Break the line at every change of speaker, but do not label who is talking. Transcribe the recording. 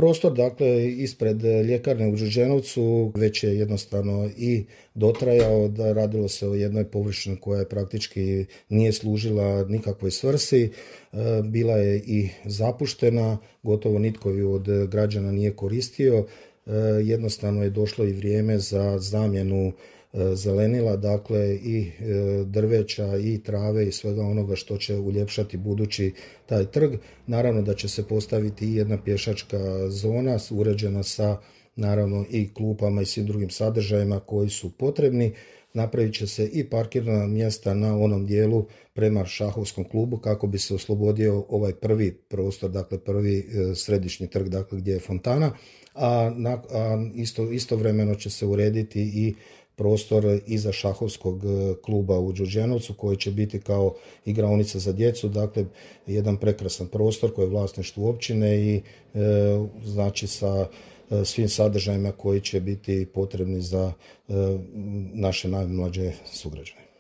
prostor, dakle, ispred ljekarne u Đurđenovcu već je jednostavno i dotrajao, da radilo se o jednoj površini koja je praktički nije služila nikakvoj svrsi, bila je i zapuštena, gotovo nitko ju od građana nije koristio, jednostavno je došlo i vrijeme za zamjenu zelenila, dakle i drveća i trave i svega onoga što će uljepšati budući taj trg. Naravno da će se postaviti i jedna pješačka zona uređena sa naravno i klupama i svim drugim sadržajima koji su potrebni. Napravit će se i parkirna mjesta na onom dijelu prema šahovskom klubu kako bi se oslobodio ovaj prvi prostor, dakle prvi središnji trg, dakle gdje je fontana, a istovremeno će se urediti i prostor iza šahovskog kluba u Đurđenovcu koji će biti kao igraonica za djecu, dakle jedan prekrasan prostor koji je vlasništvo općine i znači sa svim sadržajima koji će biti potrebni za naše najmlađe sugrađane.